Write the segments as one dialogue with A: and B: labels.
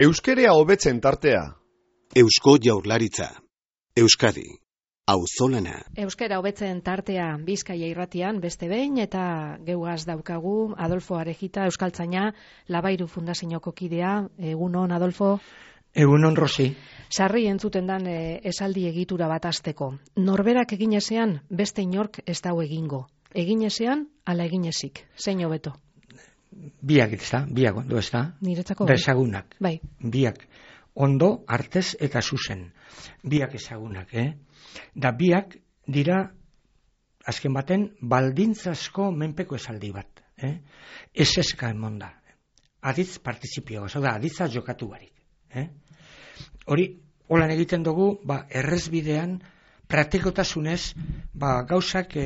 A: Euskerea hobetzen tartea.
B: Eusko Jaurlaritza. Euskadi. Auzolana.
C: Euskera hobetzen tartea Bizkaia irratian beste behin eta geugaz daukagu Adolfo Arejita, euskaltzaina, Labairu Fundazioko kidea. Egunon, Adolfo.
D: Egunon, Rosi.
C: Sarri entzuten dan esaldi egitura bat hasteko. Norberak egin ezean beste inork ez dau egingo. Egin ezean ala egin ezik. Zein hobeto?
D: Biak ezta, biak ondo ezta.
C: Niretzako
D: ezagunak.
C: Bai.
D: Biak ondo, artez eta zuzen. Biak ezagunak, Da biak dira azken baten baldintzasko menpeko esaldi bat, Ez eska emon da. Aditz partizipioa, da aditza jokatu barik, Hori, holan egiten dugu, errezbidean praktikotasunez, gauzak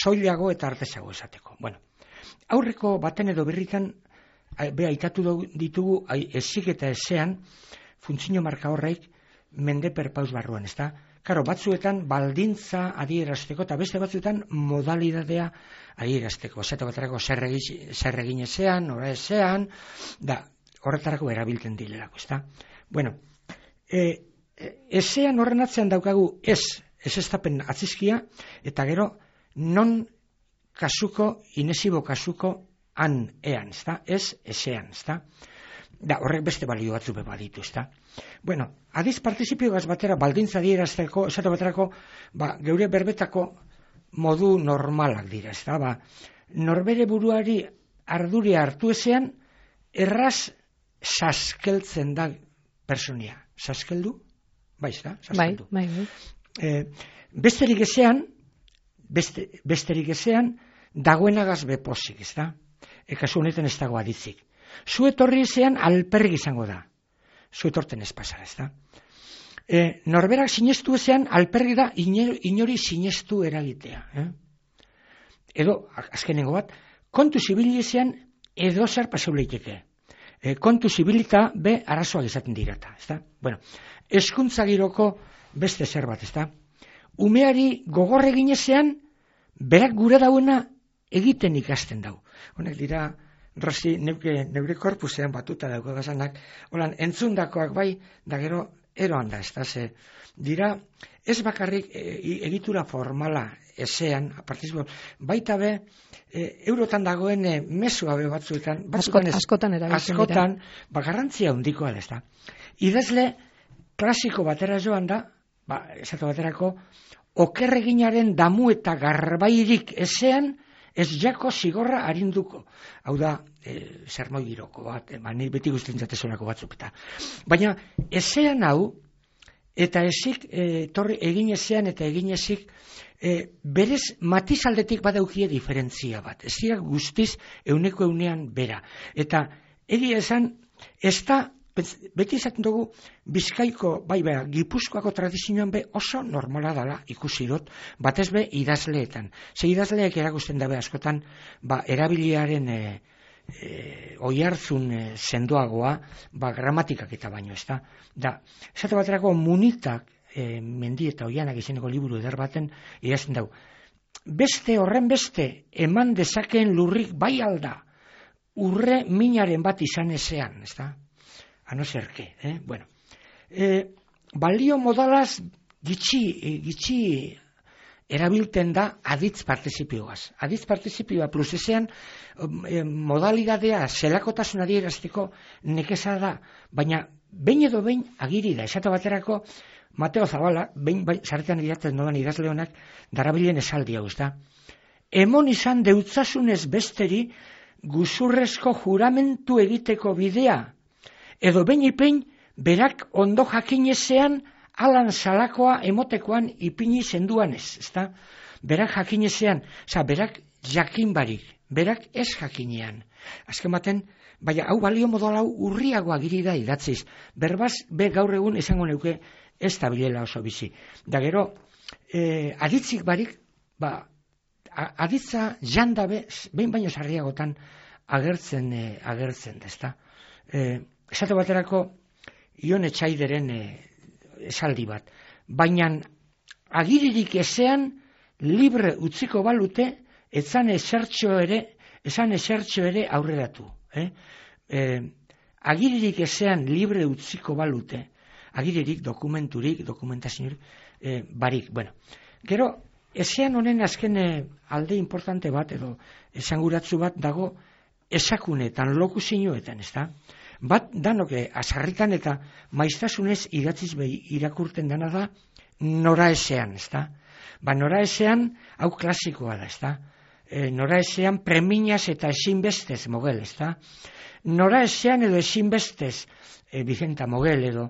D: soilago eta artezago esateko. Bueno, aurreko baten edo berritan aitatu ditugu ezik eta ezean funtzio marka horreik mende perpaus barruan, ezta? Karo, batzuetan baldintza adierazteko eta beste batzuetan modalidadea adierazteko. Esate baterako zer egin ezean, ora ezean, da horretarako erabiltzen dilerako, ezta? Bueno, ezean horren atzean daukagu ez estapen atzizkia, eta gero non kasuko, inesibo kasuko han ean, ezta? Ez ezean, ezta? Da, horrek beste balio batzu baditu, ezta? Bueno, adiz partizipioaz batera baldintza adierazteko, esate baterako, geure berbetako modu normalak dira, ezta? Norbere buruari arduria hartu ezean, erraz saskeltzen da personia. Saskeldu? Bai, ezta? Saskeldu.
C: Bai.
D: Besterik ezean, dagoenagaz bepozik, ezta? Kasu honetan ez dago aditzik. Zu etorri ezean alperrik izango da. Zu etorten ez pasara, ezta? Norberak sinestu ezean alperrik da inori sinestu eragitea. Edo, azkenengo bat, kontu zibili ezean edo zer paseu leiteke. Kontu zibilita be arazoak izaten dirata, ezta? Bueno, hezkuntza giroko beste zer bat, ezta? Umeari gogor egin ezean, berak gure dauena egiten ikasten dau. Honek dira, Rosi, neure korpusean batuta dauko gazanak, holan, entzundakoak bai, da gero eroan da, ez da, dira, ez bakarrik egitura formala ezean, baita be, eurotan dagoen mesua be batzuetan,
C: askotan erabiltzen dira.
D: Askotan, garrantzia handikoa da, ez da. Idazle klasiko batera joan da, esatu baterako, okerreginaren damu eta garbairik ezean, ez jako zigorra arinduko. Hau da, sermoi giroko bat, ni beti guztien zatezonako batzuk eta. Baina, ezean hau, eta ezik, egin ezean eta egin ezik, berez matizaldetik badaukie diferentzia bat. Ez dira guztiz euneko eunean bera. Eta, egia esan, ez da, beti izaten dugu Bizkaiko, Gipuzkoako tradizioan be oso normala dela ikusi dut, batez be idazleetan. Ze idazleek erakusten dabe askotan, erabiliaren oihartzun sendoagoa, gramatikak eta baino, ez da. Da, esate baterako Munitak, Mendi eta Oianak izeneko liburu eder baten, idazten dau. Beste horren beste, eman dezakeen lurrik bai alda, urre minaren bat izan ezean, ez da. No ser que, bueno. Balio modalaz gitxi erabilten da aditz partizipioaz. Aditz partizipioa plus ezean modalidadea zelakotasun adierazteko nekeza da, baina behin edo behin agiri da. Esate baterako Mateo Zabala, behin zaretan idatzen dodan idazle honak, darabilen esaldi hau, ezta. Emon izan deutzasunez besteri guzurrezko juramentu egiteko bidea, edo behin berak ondo jakinezean alan salakoa emotekoan ipini zenduanez, ezta? Berak jakinezean, berak jakin barik, berak ez jakinean. Azken baten, hau balio modal hau urriagoa giri da idatziz. Berbaz, gaur egun esango neuke ez da bilela oso bizi. Da gero, aditzik barik, aditza jandabe, behin baino sarriagotan agertzen da, ezta? Esate baterako Ion Etxaideren esaldi bat. Baina agiririk ezean libre utziko balute, esan esertxo ere aurreratu. agiririk ezean libre utziko balute, agiririk, dokumenturik, dokumentaziorik, barik. Bueno, gero, ezean honen azken alde importante bat, edo esanguratzu bat dago esakunetan, lokuzioetan, ez da? Bat, danoke, azarritan eta maiztasunez idatziz irakurten dena da, nora ezean, ez da? Ba, nora ezean, hau klasikoa da, ez da? Nora ezean preminaz eta ezinbestez Mogel, ez da? Nora ezean edo ezinbestez Vicenta Mogel edo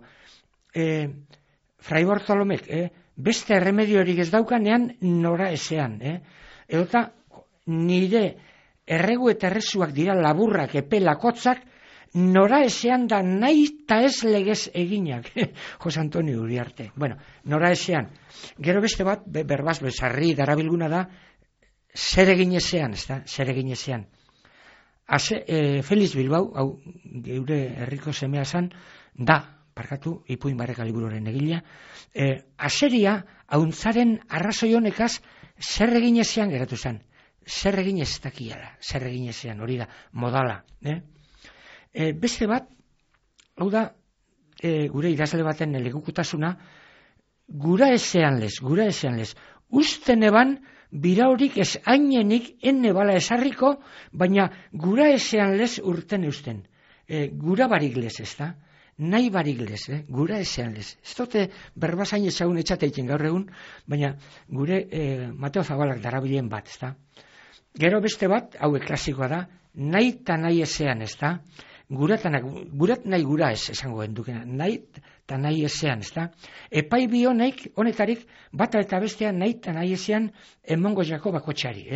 D: Fray Bartolomek, beste erremediorik ez daukanean nora ezean, edota nire erregu eta errezuak dira laburrak, epelakotzak, nora ezean da nahi eta ez legez eginak, Jose Antonio Uriarte. Bueno, nora ezean. Gero beste bat, berbaz, bezarri darabilguna da, zer egin ezean, ez da, zer egin ezean. Feliz Bilbao, hau geure herriko semea zan, parkatu, Ipuin Barreka liburuaren egilea, aseria, hauntzaren arrazoi honekaz, zer egin ezean geratu zen. Zer egin ez dakiala, zer egin ezean, hori da, modala. Beste bat, hau da, gure idazle baten legukutasuna, gura ezean lez. Usten eban, bira horik ez ainenik enne bala esarriko, baina gura ezean lez urten eusten. Gura barik lez, ez da? Nahi barik lez, gura ezean lez. Ez dute berbazain ezagun etxateitzen gaur egun, baina gure Mateo Zabalak darabilen bat, ez da? Gero beste bat, hauek klasikoa da, nahi eta nahi ezean, ez da? Gurat nahi gura ez, esango gendukena, nahi eta nahi ezean, ez da? Epai bi honetarik, bata eta bestea nahi eta nahi ezean emongo jako bakotxari,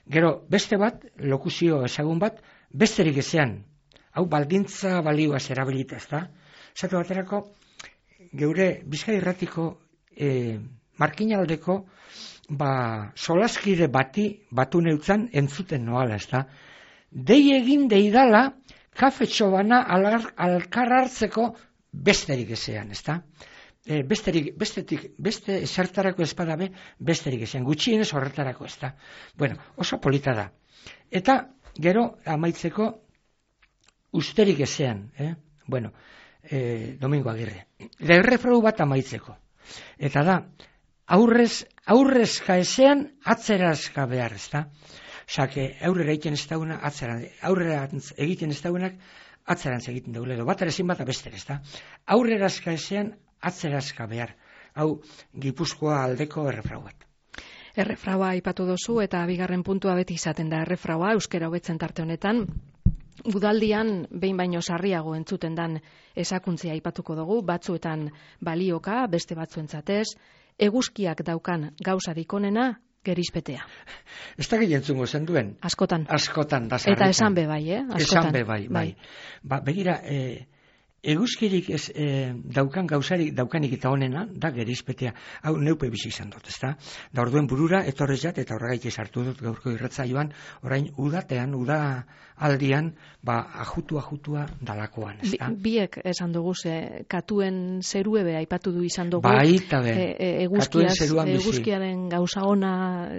D: Gero beste bat, lokuzio ezagun bat, besterik ezean, hau baldintza balioaz erabilita, ez da? Zatu baterako, geure Bizkai Irratiko markinaldeko solaskide batu neutzan entzuten noala, ez da? Dei egin deidala kafetxo bana alkar hartzeko besterik ezean, ez da? Beste esertarako espadabe besterik ezean, gutxienez horretarako, ez da? Bueno, oso polita da. Eta, gero, amaitzeko, usterik ezean, Bueno, Domingo Agirre. Errefrau bat amaitzeko. Eta da, aurrezka ezean, atzerazka behar, ez da? Osake, aurrera egiten ez dauna, aurrera egiten ez daunak, atzerantz egiten daule, edo bat erezin bat abester, ez da? Aurrerazka ezean, atzerazka behar. Hau, Gipuzkoa aldeko errefrau bat.
C: Errefraua aipatu dozu eta bigarren puntua beti izaten da errefraua, euskera hobetzen tarte honetan. Udaldian behin baino sarriago entzuten dan esakuntzia aipatuko dugu, batzuetan balioka, beste batzuentzatez, eguzkiak daukan gauzarik onena, gerizpetea.
D: Ez da gehientzungo zen duen?
C: Askotan.
D: Askotan, da sarritan.
C: Eta esan be bai, Askotan.
D: Esan be bai. Begira, eguzkirik ez daukan gauzarik daukanik eta onena, da gerizpetea. Hau neupe bizi izan dut, ez da? Da orduen burura, etorrez jat, eta horregaik sartu dut gaurko irratzaioan, orain udatean, uda aldian, ajutua dalakoan, ez da?
C: Biek esan dugu, katuen zeruebe aipatu du izan dugu.
D: Baita be, katuen zeruan bizi.
C: Eguzkiaren gauza ona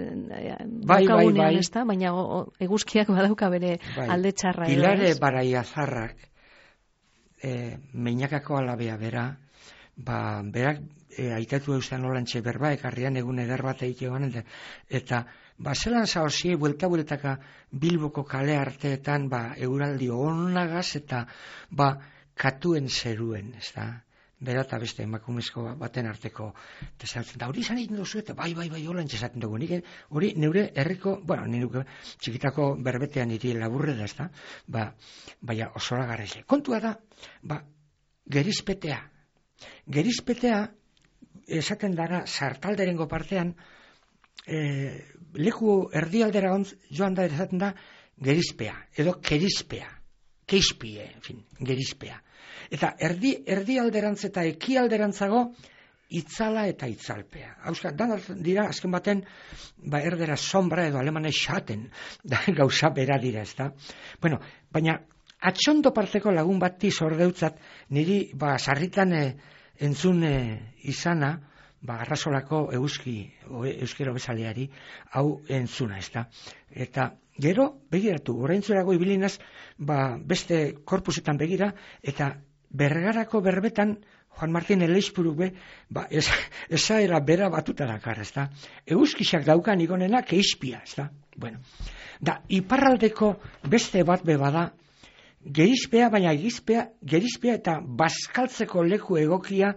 C: daukagunean, ez da? Baina eguzkiak badauka bere alde txarra.
D: Pilare Baraiazarrak, meinakako alabea bera, berak aitatu eustan olantxe berba, ekarrian egun eder bat egitean, eta zelan zaozie, buelta-bueltaka Bilboko kale arteetan, euraldi onagaz, eta katuen zeruen, ez da? Bera eta beste emakumezko baten arteko tesatzen da, hori izan egiten duzu, eta bai, olantxe esaten dugu. Hori neure herriko, nire txikitako berbetean iri laburre da, ez da? Baina osora garraize. Kontua da, gerizpetea. Gerizpetea, esaten dara, sartalderengo partean, leku erdialdera joan da, esaten da, gerizpea, edo kerizpea. Keizpie, gerizpea. Eta erdialderantz eta ekialderantzago itzala eta itzalpea. Hauska, dira, azken baten, erdera sombra edo alemane xaten, gauza bera dira, ez da? Bueno, baina, atxondo parteko lagun bati zordeutzat, niri, sarritan entzun izana, arrasolako euskero bezaleari, hau entzuna, ez da? Eta gero, begiratu, oraintzerago ibilinaz, beste korpusetan begira, eta Bergarako berbetan, Juan Martin Eleixpuruk esaera bera batuta dakar, ezta? Euskisak daukan igonena keizpia, ezta? Bueno, da, iparraldeko beste bat bada, gerizpea, baina gerizpea eta bazkaltzeko leku egokia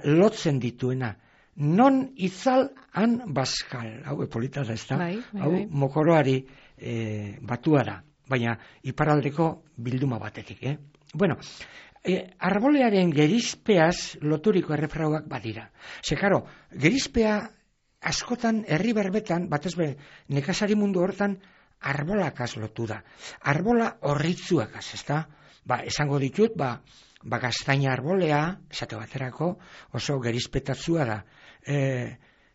D: lotzen dituena. Non itzal, han bazkal. Hau polita da, ezta? Hau mokoroari batua da, baina iparraldeko bilduma batetik, Bueno, arbolearen gerizpeaz loturiko errefrauak badira. Karo, gerizpea askotan herri berbetan, batez be, nekazari mundu hortan, arbolakaz lotu da. Arbola horritzuakaz, ezta? Esango ditut, gaztaina arbolea, esate baterako, oso gerizpetatzua da.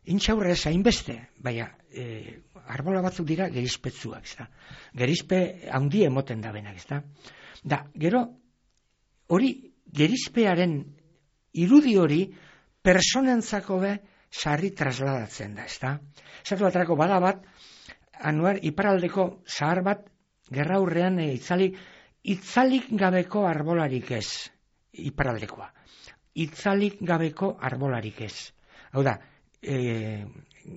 D: Intxaurra ez hainbeste, baina arbola batzuk dira gerizpetzuak, ezta? Gerizpe handi emoten da benak, ezta? Da, gero, hori, gerizpearen irudi hori, personentzako sarri trasladatzen da, ezta? Esatu baterako bada bat, anuar iparaldeko zahar bat, gerra hurrean itzalik gabeko arbolarik ez, iparaldekoa. Itzalik gabeko arbolarik ez. Hau da,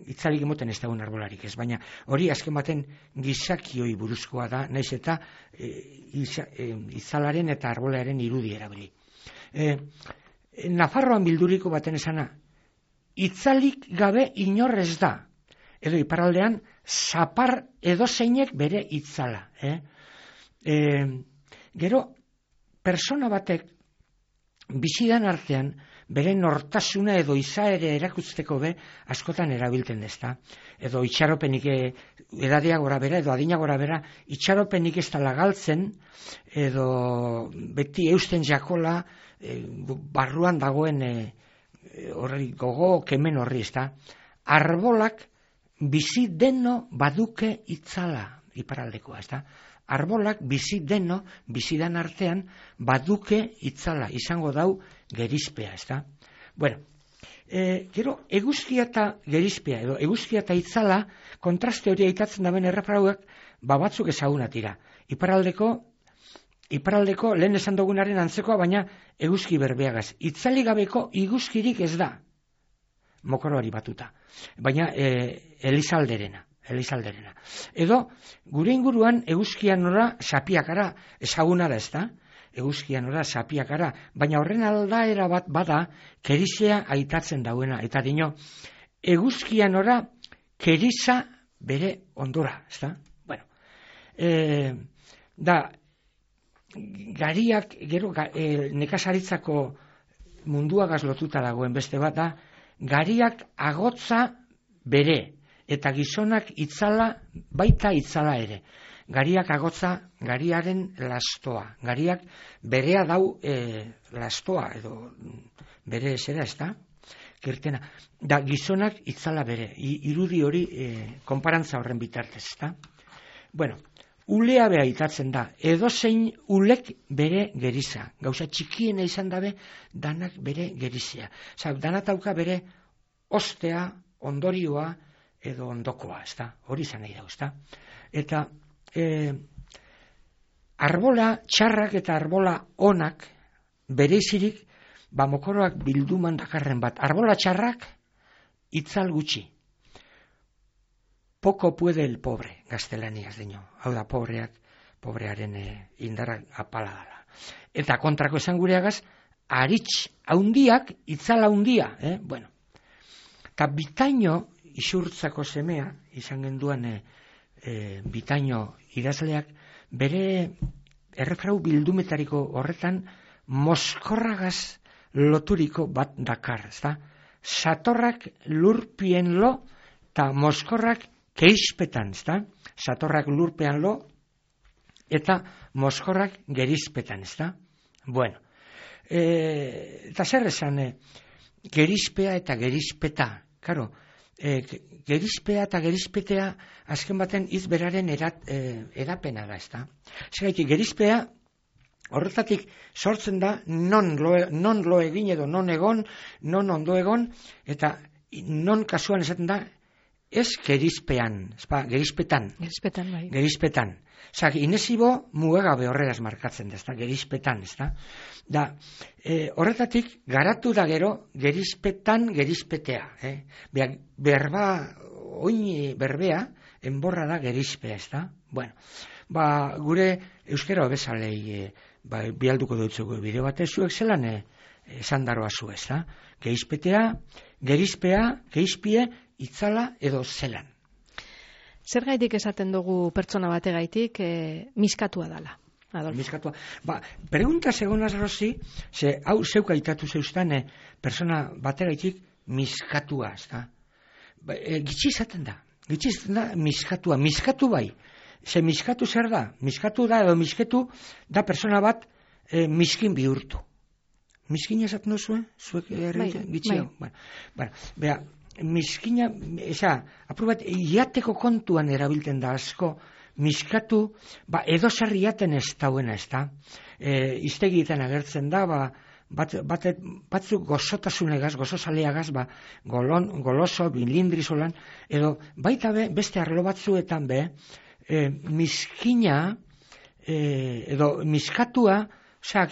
D: itzalik emoten ez dagoen arbolarik ez, baina hori azken baten gizakioi buruzkoa da, naiz eta itzalaren eta arbolaren irudi erabili. Nafarroan bilduriko baten esana, itzalik gabe inorrez da, edo iparaldean zapar edozeinek bere itzala. Gero, persona batek bizidan artean bere nortasuna edo izaere erakusteko askotan erabilten ezta. Edo itxaropenik edadea gora bera, edo adina gora bera, itxaropenik ez da lagaltzen, edo beti eusten jakola barruan dagoen horri gogo kemen horri ezta. Arbolak bizi deno baduke itzala iparaldekoa, ezta. Arbolak bizi deno, bizidan artean, baduke itzala, izango dau gerizpea, ezta? Bueno, gero, eguzkia eta gerizpea, edo eguzkia eta itzala, kontraste hori aitatzen daben errefrauak, batzuk ezagunat dira. Iparraldeko lehen esan dugunaren antzekoa, baina eguzki berbeagaz. Itzali gabeko iguzkirik ez da, mokoroari batuta, baina Elizalderena. Edo, gure inguruan eguzkian nora sapiakara, ezaguna da, ezta? Eguzkian nora sapiakara, baina horren aldaera bat bada kerizea aitatzen dauena, eta dino, eguzkian nora keriza bere ondora, ezta? Bueno, da, gariak, gero, nekazaritzako munduagaz lotuta dagoen beste bat da, gariak agotza bere, eta gizonak itzala, baita itzala ere. Gariak agotza, gariaren lastoa. Gariak berea dau lastoa, edo bere zera, ez da? Kirtena. Da gizonak itzala bere. Irudi hori konparantza horren bitartez, ez da? Bueno, ulea beha itatzen da. Edozein ulek bere geriza. Gauza txikiena izan dabe, danak bere gerizia. Danatauka bere ostea, ondorioa, edo ondokoa, ezta? Hori izan nahi da, ezta? Eta arbola txarrak eta arbola onak bereizirik mokoroak bilduman dakarren bat. Arbola txarrak itzal gutxi. Poco puede el pobre, gaztelaniaz dino. Hau da, pobrearen indarrak apala dala. Eta kontrako esan gureagaz, aritz haundiak, itzal haundia, bueno. Eta bitaino isurtzako semea, izan genduan bitaino idazleak, bere errefrau bildumetariko horretan moskorragaz loturiko bat dakar, ezta? Satorrak lurpien lo, eta moskorrak keizpetan, ezta? Satorrak lurpean lo, eta moskorrak gerizpetan, ezta? Bueno, eta zer esan, gerizpea eta gerizpeta, karo, gerizpea eta gerizpetea azken baten izberaren edapena da, ezta? Zergatik, gerizpea horretatik sortzen da non lo egin edo non egon, non ondo egon, eta non kasuan esaten da ez gerizpean, gerizpetan.
C: Gerizpetan, bai.
D: Gerizpetan. Osa, inesibo mugagabe horregaz markatzen da, ezta, gerizpetan, ezta. Da, horretatik, garatu da gero, gerizpetan, gerizpetea. Berba, oin berbea, enborra da gerizpea, ezta. Bueno, gure euskera bezalei bialduko dutzuko bideo batez zuek zelan esan daroa zu, ezta. Gerizpetea, gerizpea, gerizpie, itzala edo zelan.
C: Zer gaitik esaten dugu pertsona bategaitik miskatua dala, Adolfo?
D: Miskatua. Pregunta segonaz, Rosi, ze hau zeuk aitatu zeustane pertsona bategaitik miskatua, ezta. Gitxi izaten da miskatua. Miskatu bai. Ze miskatu zer da? Miskatu da edo misketu da persona bat miskin bihurtu. Miskin esaten duzue? Zuek gitxi hau? Bera, miskina, aprobat, iateko kontuan erabiltzen da asko, miskatu, edo sarriaten ez dauena, ez da. Iztegietan agertzen da, batzuk gozotasunegaz, gozozaleagaz, goloso, bilindrizolan, edo baita beste arlo batzuetan miskina, edo miskatua,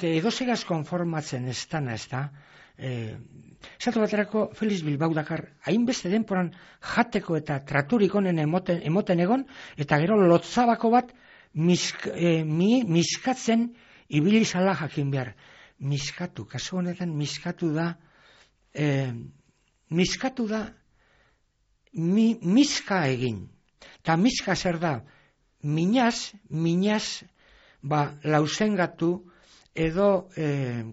D: edo segaz konformatzen ez dana, ez da. Esatu baterako Felix Bilbao dakar, hainbeste denporan jateko eta traturik onen emoten egon, eta gero lotzabako bat miskatzen ibili zala jakin behar. Miskatu, kasu honetan miskatu da miska egin. Ta miska zer da, minaz, lauzengatu edo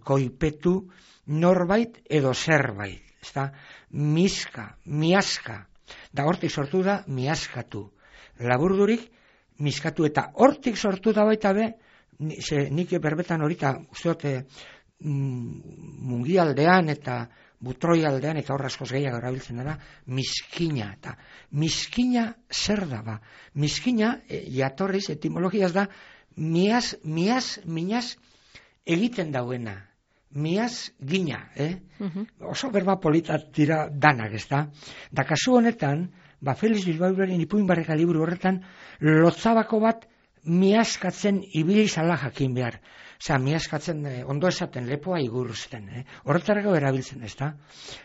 D: koipetu norbait edo zerbait. Ezta? Miska, miaska. Da hortik sortu da miaskatu. Laburdurik miskatu eta hortik sortu da baita nik berbetan horita usteote mungialdean eta butroialdean eta horra askoz gehiago erabiltzen dara, miskina. Eta miskina zer da ba? Miskina, jatorriz, etimologiaz da, minaz egiten dauena. Miaz gina, Oso berba politat dira danak, ez da? Da kasu honetan, Felix Bilbaoren ipuin barreka liburu horretan, lotzabako bat miazkatzen ibili zala jakin behar. Osa, miazkatzen ondo esaten, lepoa iguruzten, Horretarako erabiltzen, ez da?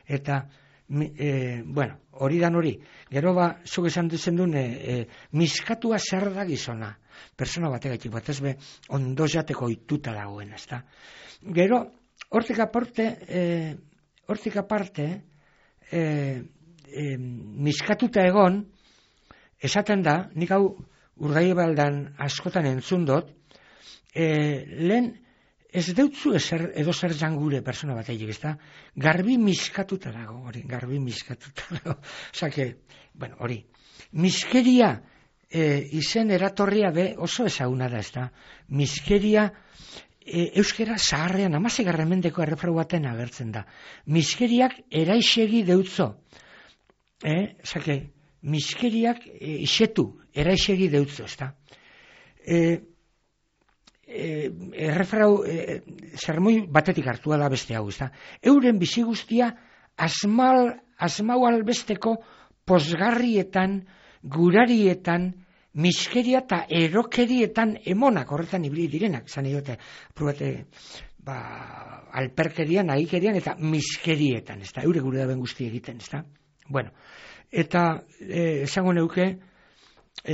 D: Eta, hori dan hori. Gero zuk esan duzen duen, miskatua zer da gizona. Persona bategaitik bat ez ondo jateko ituta dagoen, ez da? Gero, hortik aparte, miskatuta egon, esaten da, nik hau Urdaibaldan askotan entzun dut, lehen ez deutzu edo zer jangure persona batetik, ez da? Garbi miskatuta dago, hori, Osake, hori, miskeria izen eratorria oso ezaguna da, ez da? Miskeria euskera zaharrean 16. mendeko errefrau baten agertzen da. Miskeriak eraixegi deutzo. Miskeriak isetu, eraixegi deutzo, ezta. Errefrau zermoi batetik hartua da beste hau, ezta. Euren bizi guztia asmau albesteko posgarrietan, gurarietan, miskeria eta erokerietan emonak horretan ibili direnak, zan edote, alperkerian, ahikerian eta miskerietan, ez da, eure gure daben guzti egiten, ez da. Eta esango neuke,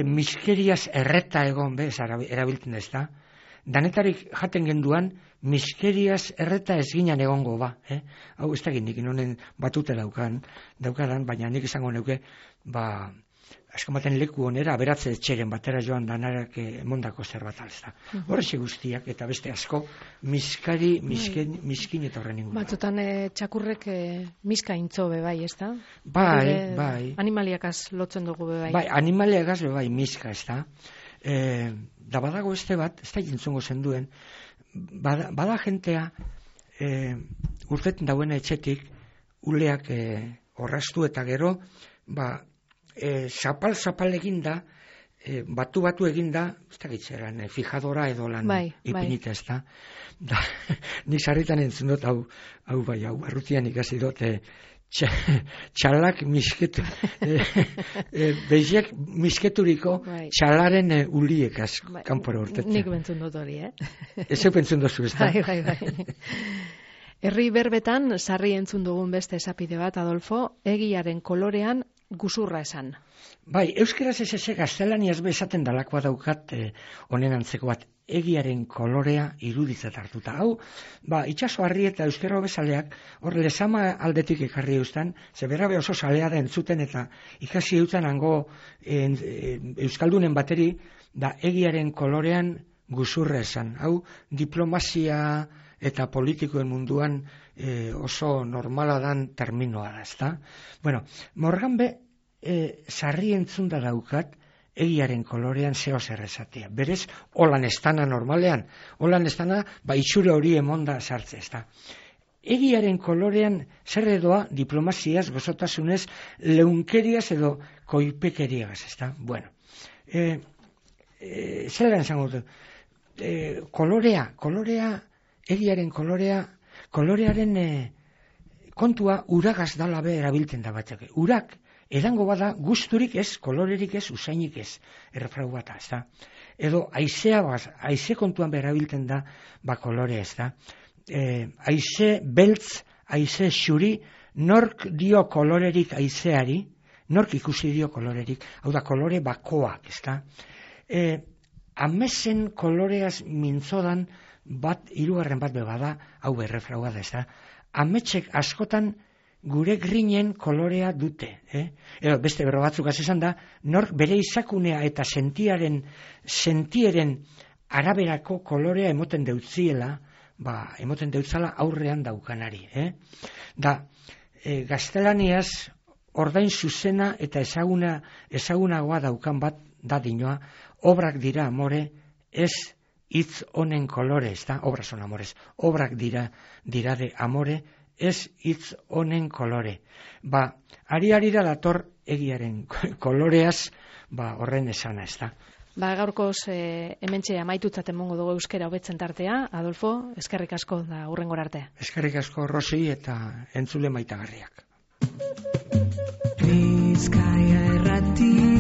D: miskeriaz erreta egon, erabiltzen ez da. Danetarik jaten genduan, miskeriaz erreta ez ginen egongo Hau ez da nik inonen batute daukadan, baina nik esango neuke, askomaten leku onera, aberatze etxeren batera joan danarak emondako zerbait alzta. Horrexe guztiak, eta beste asko, miskin eta horren ingura.
C: Batzutan txakurrek miska intzo bebai, ez da?
D: Bai.
C: Animaliakaz lotzen dugu bebai.
D: Bai, animaliakaz bebai miska, ez da? Da badago este bat, ez da jintzongo zenduen, bada jentea urteten dauen etxetik, uleak orrastu eta gero, zapal eginda, batu eginda, ez da gitzeran, fijadora edo lan ipinita, ez da. Nik sarritan entzun dut, hau barrutian ikasi dut, txalak misketu, beziak misketuriko txalaren uliek kanpora urtetzen.
C: Nik bentzun dut hori,
D: Ez bentzun dozu, ez da?
C: Bai. Herri berbetan, sarri entzun dugun beste esapide bat, Adolfo, egiaren kolorean guzurra esan.
D: Bai, euskeraz ez gaztelaniaz bezaten dalakoa daukat honen antzeko bat, egiaren kolorea iruditzat hartuta. Hau, itxaso harri eta euskera bezaleak, hor lezama aldetik ekarri eustan, ze berabe oso salea da entzuten eta ikasi eutan hango euskaldunen bateri, da egiaren kolorean guzurra esan. Hau, diplomazia eta politikoen munduan oso normala dan terminoa da, ezta? Bueno, morgan be, sarri entzunda daukat, egiaren kolorean zeo zer esatea. Berez, holan estana normalean, holan estana, itxure hori emonda sartze, ezta? Egiaren kolorean zer edoa diplomaziaz, gozotasunez, leunkeriaz edo koipekeriagaz, ezta? Bueno, zer eran zango dut? Kolorea, egiaren kolorearen kontua uragaz dala be erabiltzen da batzake. Urak, edango bada guzturik ez, kolorerik ez, usainik ez, errefrau bata, ez da? Edo aize kontuan berabiltzen da, kolorea, ez da? Aize beltz, aize xuri, nork dio kolorerik aizeari, nork ikusi dio kolorerik, hau da, kolore bakoak, ez da? Amesen koloreaz mintzodan, hirugarren bat bebada, hau errefraua da, ez da? Ametsek askotan gure grinen kolorea dute. Edo beste berro batzuk esan da, nork bere izakunea eta sentieren araberako kolorea emoten deutziela, emoten deutzala aurrean daukanari. Da, gaztelaniaz ordain zuzena eta ezagunagoa daukan bat da dinoa, obrak dira amore, ez hitz honen kolore, ez da, obras son amores, obrak dira de amore, ez hitz honen kolore. Ari da dator egiaren koloreaz, horren esana, ez da.
C: Gaurkoz hementxe amaitutzat emongo dugu euskera hobetzen tartea, Adolfo, eskerrik asko da hurrengora arte.
D: Eskerrik asko, Rosi, eta entzule maitagarriak.
E: Bizkaia Irratia